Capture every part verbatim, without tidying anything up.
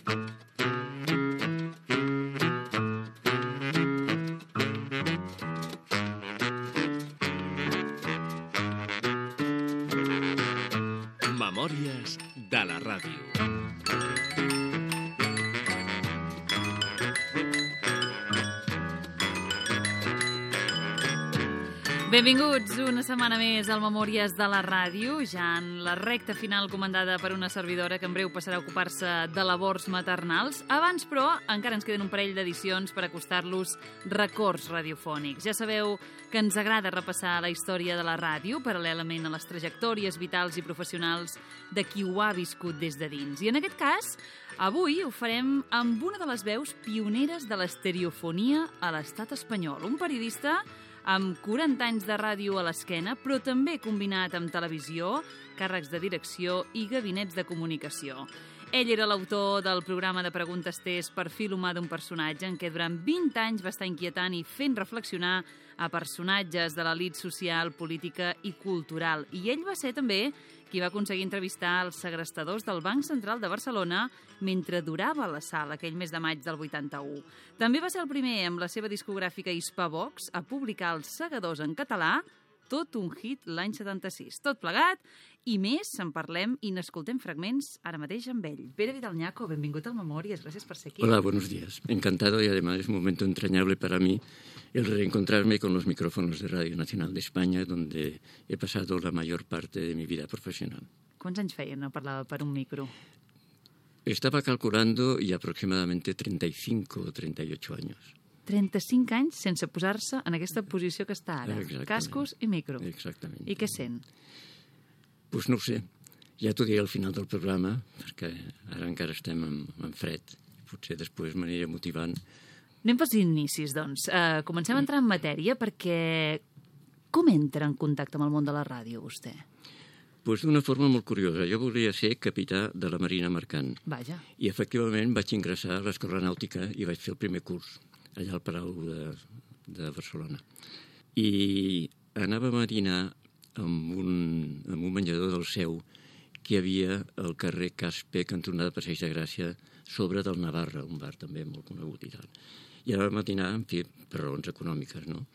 Memòries de la ràdio. Benvinguts una setmana més al Memòries de la Ràdio, ja en la recta final comandada per una servidora que en breu passarà a ocupar-se de labors maternals. Abans, però, encara ens queden un parell d'edicions per acostar-los records radiofònics. Ja sabeu que ens agrada repassar la història de la ràdio, paral·lelament a les trajectòries vitals i professionals de qui ho ha viscut des de dins. I en aquest cas, avui ho farem amb una de les veus pioneres de l'estereofonia a l'estat espanyol, un periodista amb quaranta anys de ràdio a l'esquena, però també combinat amb televisió, càrrecs de direcció i gabinets de comunicació. Ell era l'autor del programa de preguntes test Perfil humà d'un personatge, en què durant vint anys va estar inquietant i fent reflexionar a personatges de l'elit social, política i cultural. I ell va ser també qui va aconseguir entrevistar els segrestadors del Banc Central de Barcelona mentre durava la sala aquell mes de maig del vuitanta-u. També va ser el primer, amb la seva discogràfica Hispavox, a publicar Els segadors en català, tot un hit l'any setanta-sis. Tot plegat i més en parlem i n'escoltem fragments ara mateix amb ell. Pere Vidal-Naco, benvingut al Memòries, gracias por ser aquí. Hola, buenos días. Encantado y además es un momento entrañable para mí el reencontrarme con los micrófonos de Radio Nacional de España, donde he pasado la mayor parte de mi vida profesional. Quants anys feia no parlava per un micro? Estaba calculando y aproximadamente treinta y cinco o treinta y ocho años. trenta-cinc anys sense posar-se en aquesta posició que està ara. Exactament. Cascos i micro. Exactament. I què sent? Pues no ho sé. Ja t'ho diré al final del programa, perquè ara encara estem en, en fred. Potser després m'aniré motivant. Anem pels inicis, doncs. Uh, comencem a entrar en matèria perquè com entra en contacte amb el món de la ràdio, vostè? Pues d'una forma molt curiosa. Jo volia ser capità de la Marina Mercant. Vaja. I efectivament vaig ingressar a l'Escola Nàutica i vaig fer el primer curs allà al Palau de, de Barcelona. I anàvem a dinar amb un, amb un menjador del Seu que hi havia al carrer Caspe, cantonada Passeig de Gràcia, sobre del Navarra, un bar també molt conegut i tal. I anàvem a dinar, en fi, per raons econòmiques, no?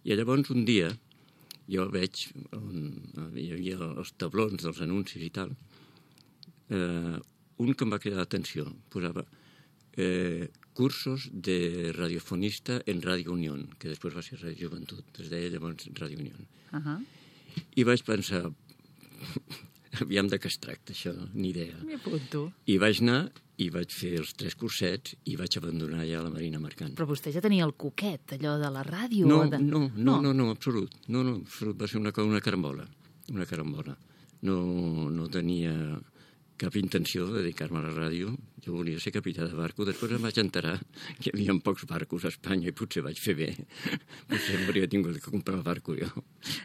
I llavors un dia jo veig, on hi havia els tablons dels anuncis i tal, eh, un que em va cridar l'atenció, posava eh, cursos de radiofonista en Radio Unión, que després va ser Radio Joventut, es deia llavors Radio Unión. Uh -huh. I vaig pensar, aviam de què es tracta això, ni idea. M'hi apunto. I vaig anar i vaig fer els tres cursets i vaig abandonar ja la Marina Mercant. Però vostè ja tenia el coquet, allò de la ràdio? No, o de... no, no, no, no, absolut. No, no, absolut. Va ser una, una carambola. Una carambola. No, no tenia cap intenció de dedicar-me a la ràdio. Jo volia ser capità de barco. Després em vaig enterar que hi havia pocs barcos a Espanya i potser vaig fer bé. Potser hauria tingut que comprar barco jo.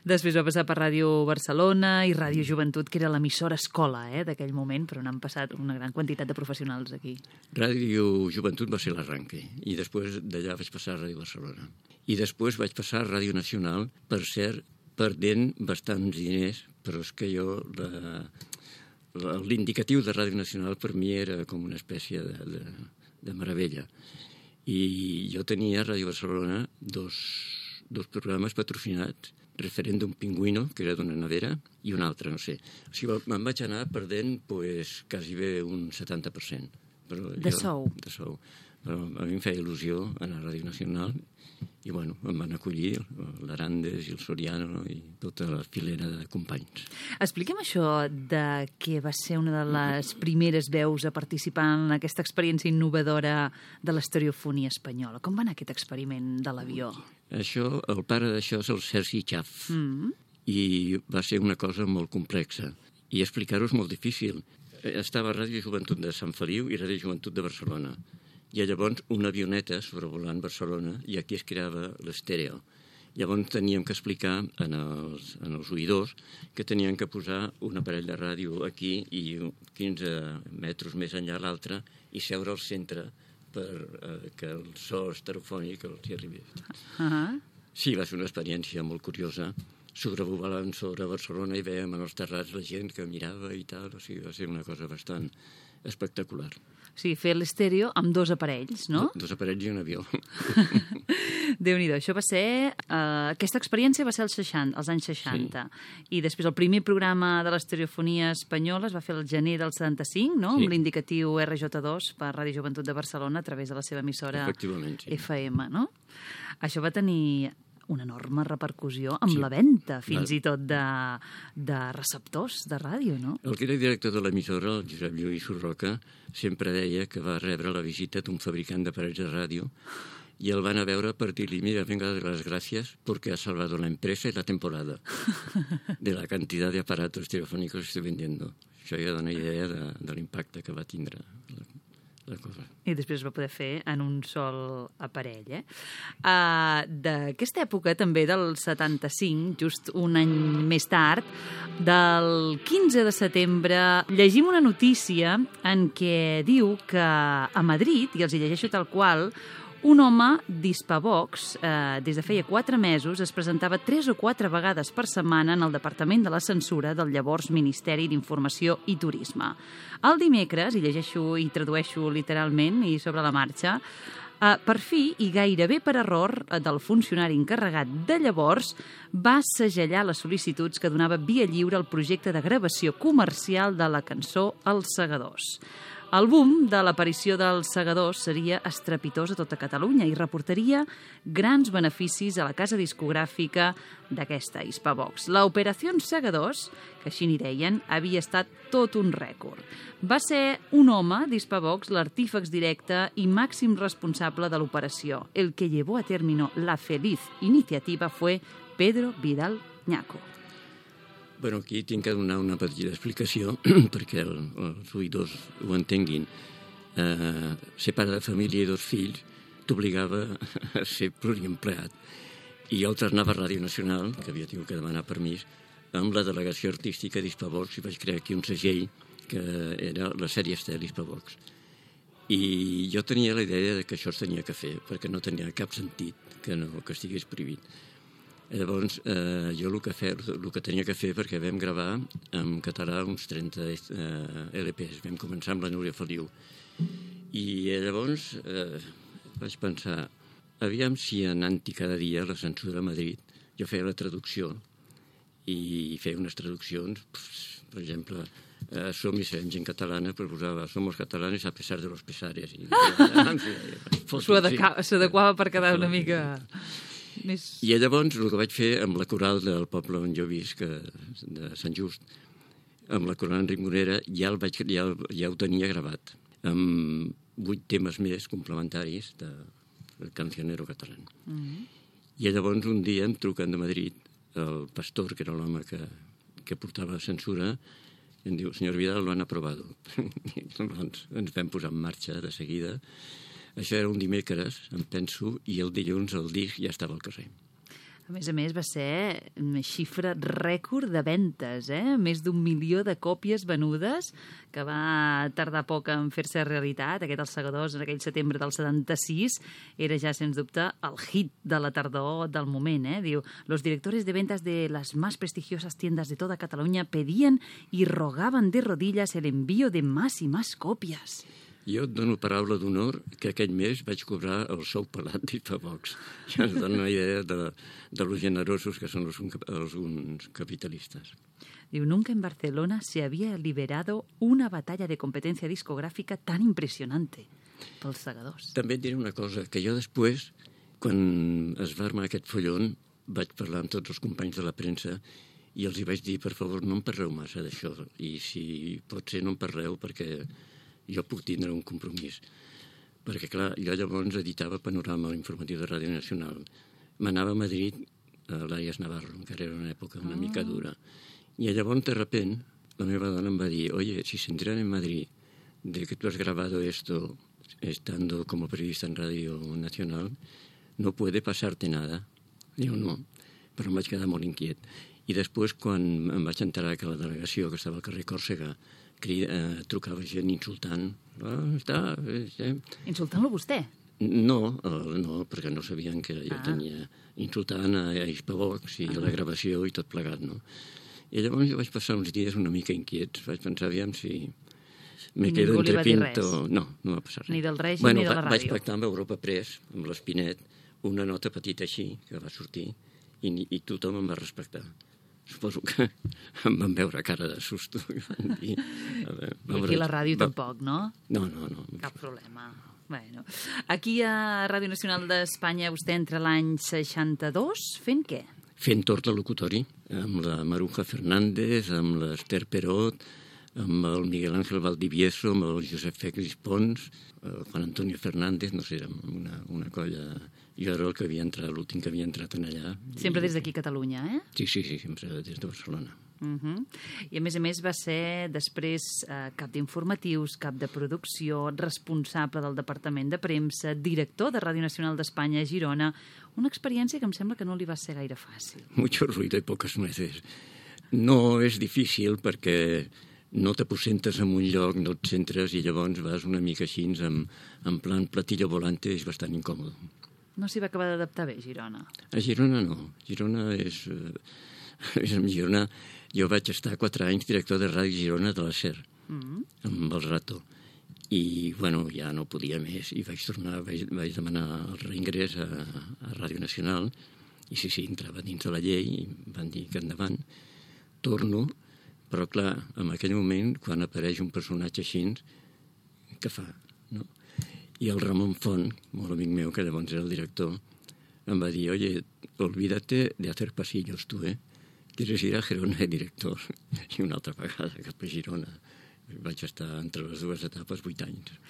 Després va passar per Ràdio Barcelona i Ràdio Joventut, que era l'emissora escola eh, d'aquell moment, però n'han passat una gran quantitat de professionals aquí. Ràdio Joventut va ser l'arranque i després d'allà vaig passar a Ràdio Barcelona. I després vaig passar a Ràdio Nacional, per cert, perdent bastants diners, però és que jo... La... L'indicatiu de Ràdio Nacional per mi era com una espècie de, de, de meravella. I jo tenia a Ràdio Barcelona dos, dos programes patrocinats, Referèndum Pingüino, que era d'una nevera, i un altre, no sé. O sigui, me'n vaig anar perdent pues, quasi bé un setanta per cent. Però de jo, sou? De sou. Però a mi em feia il·lusió anar a Ràdio Nacional i, bueno, em van acollir l'Arandes i el Soriano i tota la filera de companys. Expliquem això de que va ser una de les primeres veus a participar en aquesta experiència innovadora de l'estereofonia espanyola. Com va anar aquest experiment de l'avió? Això, el pare d'això és el Sergi Chaff, mm-hmm. i va ser una cosa molt complexa. I explicar-ho és molt difícil. Estava a Ràdio Joventut de Sant Feliu i Ràdio Joventut de Barcelona. I llavors una avioneta sobrevolant Barcelona i aquí es creava l'estèreo. Llavors teníem que explicar en els, en els oïdors que tenien que posar un aparell de ràdio aquí i quinze metres més enllà l'altre i seure al centre per eh, que el so estereofònic els hi arribés. Uh-huh. Sí, va ser una experiència molt curiosa. Sobrevolant sobre Barcelona i veiem en els terrats la gent que mirava i tal. O sigui, va ser una cosa bastant espectacular. O sigui, fer l'estèreo amb dos aparells, no? Dos aparells i un avió. Déu-n'hi-do. Això va ser... Uh, aquesta experiència va ser als, seixanta, als anys seixanta. Sí. I després el primer programa de l'estereofonia espanyola es va fer el gener del setanta-cinc, no? Sí. Amb l'indicatiu R J dos per Ràdio Joventut de Barcelona a través de la seva emissora sí. F M, no? Això va tenir una enorme repercussió amb sí. la venda, fins la... i tot, de, de receptors de ràdio, no? El que era director de l'emissora, el Josep Lluís Urroca, sempre deia que va rebre la visita d'un fabricant d'aparells de ràdio i el van a veure per dir-li, mira, venga las gracias porque ha salvado la empresa y la temporada de la cantidad de aparatos telefónicos que estoy vendiendo. Això ja dona idea de, de l'impacte que va tindre la, la cosa. I després es va poder fer en un sol aparell, eh? Uh, D'aquesta època, també del setanta-cinc, just un any més tard, del quinze de setembre, llegim una notícia en què diu que a Madrid, i els hi llegeixo tal qual, un home d'Hispavox, eh, des de feia quatre mesos, es presentava tres o quatre vegades per setmana en el Departament de la Censura del llavors Ministeri d'Informació i Turisme. El dimecres, i llegeixo i tradueixo literalment i sobre la marxa, eh, per fi, i gairebé per error del funcionari encarregat de llavors, va segellar les sol·licituds que donava via lliure al projecte de gravació comercial de la cançó Els Segadors. El boom de l'aparició dels Segadors seria estrepitós a tota Catalunya i reportaria grans beneficis a la casa discogràfica d'aquesta Hispavox. L'Operació Segadors, que així n'hi deien, havia estat tot un rècord. Va ser un home d'Hispavox l'artífex directe i màxim responsable de l'operació. El que llevó a término la feliz iniciativa fue Pedro Vidal Ñaco. Bueno, aquí tinc que donar una petita explicació perquè el, els oïdors ho entenguin. Eh, ser pare de família i dos fills t'obligava a ser pluriempleat. I jo alternava a Ràdio Nacional, que havia tingut que demanar permís, amb la delegació artística d'Hispavox i vaig crear aquí un segell que era la sèrie Estel Hispavox. I jo tenia la idea de que això es tenia que fer, perquè no tenia cap sentit que, no, que estigués prohibit. Llavors, eh, jo el que, fer, el que tenia que fer, perquè vam gravar en català uns trenta eh, L Ps, vam començar amb la Núria Feliu. I llavors eh, vaig pensar, aviam si anant-hi cada dia a la censura a Madrid, jo feia la traducció i feia unes traduccions, per exemple, eh, som i serem gent catalana, però posava somos catalanes a pesar de los pesares. I, en fi, s'adequava per quedar una mica... Més... I llavors el que vaig fer amb la coral del poble on jo visc, de Sant Just, amb la coral Enric Morera, ja, el vaig, ja, ja ho tenia gravat, amb vuit temes més complementaris de, del cancionero català. Mm -hmm. I llavors un dia em truquen de Madrid el pastor, que era l'home que, que portava la censura, i em diu, senyor Vidal, lo han aprobado. I doncs ens vam posar en marxa de seguida. Això era un dimecres, em penso, i el dilluns el disc ja estava al carrer. A més a més, va ser una xifra rècord de ventes, eh? Més d'un milió de còpies venudes, que va tardar poc en fer-se realitat. Aquest Els Segadors, en aquell setembre del setanta-sis, era ja, sens dubte, el hit de la tardor del moment, eh? Diu, los directores de ventas de las más prestigiosas tiendas de toda Cataluña pedían y rogaban de rodillas el envío de más y más copias. Jo et dono paraula d'honor que aquell mes vaig cobrar el sou pelat d'Hispavox. Això ens dona una idea de, de los generosos que són els, els capitalistes. Diu, nunca en Barcelona se había liberado una batalla de competencia discográfica tan impresionante pels Segadors. També et diré una cosa, que jo després, quan es va armar aquest follon, vaig parlar amb tots els companys de la premsa i els hi vaig dir, per favor, no em parleu massa d'això, i si pot ser no em parleu perquè jo puc tindre un compromís. Perquè, clar, jo llavors editava Panorama, l'informatiu de Ràdio Nacional. M'anava a Madrid, a l'Àries Navarro, encara era una època una oh. mica dura. I llavors, de repente, la meva dona em va dir, oye, si se enteran en Madrid de que tú has grabado esto estando como periodista en Radio Nacional, no puede pasarte nada. Diu, no, però em vaig quedar molt inquiet. I després, quan em vaig enterar que la delegació, que estava al carrer Còrsega, Eh, trucava gent insultant. Ah, està, eh. Insultant-lo vostè? No, eh, no, perquè no sabien que jo ah. tenia insultant a, a Hispavox i ah. a la gravació i tot plegat, no? I llavors jo vaig passar uns dies una mica inquiets. Vaig pensar, aviam si, Me I quedo ningú li entre va dir Pinto... res? No, no va passar res. Ni del règim bueno, ni de la va- ràdio. Vaig pactar amb Europa Press, amb l'Espinet, una nota petita així, que va sortir, i, ni- i tothom em va respectar. Suposo que em van veure cara de susto. I van dir... A veure, I aquí a la ràdio va- tampoc, no? No, no, no. Cap problema. Bueno. Aquí a Ràdio Nacional d'Espanya vostè entra l'any seixanta-dos fent què? Fent tort de locutori, amb la Maruja Fernández, amb l'Ester Perot, amb el Miguel Ángel Valdivieso, amb el Josep Fèlix Pons, el Juan Antonio Fernández, no sé, érem una, una colla... Jo era el que havia entrat, l'últim que havia entrat en allà. Sempre I- des d'aquí a Catalunya, eh? Sí, sí, sí, sempre des de Barcelona. Uh -huh. I a més a més va ser després eh, cap d'informatius, cap de producció, responsable del Departament de Premsa, director de Ràdio Nacional d'Espanya a Girona. Una experiència que em sembla que no li va ser gaire fàcil. Mucho ruido y pocas nueces. No és difícil perquè no t'aposentes en un lloc, no et centres i llavors vas una mica així en, en plan platillo volante, és bastant incòmode. No s'hi va acabar d'adaptar bé, Girona. A Girona no. Girona és... Eh, és en Girona... Jo vaig estar quatre anys director de Ràdio Girona de la SER, Mm. amb el Rato. I, bueno, ja no podia més. I vaig tornar, vaig, vaig demanar el reingrés a, a Ràdio Nacional. I sí, sí, entrava dins de la llei i van dir que endavant. Torno, però clar, en aquell moment, quan apareix un personatge així, què fa? No? I el Ramon Font, molt amic meu, que llavors era el director, em va dir, oye, olvídate de hacer pasillos, tu, eh? ¿Quieres ir a Girona de director? I una altra vegada cap a Girona. Vaig estar entre les dues etapes vuit anys.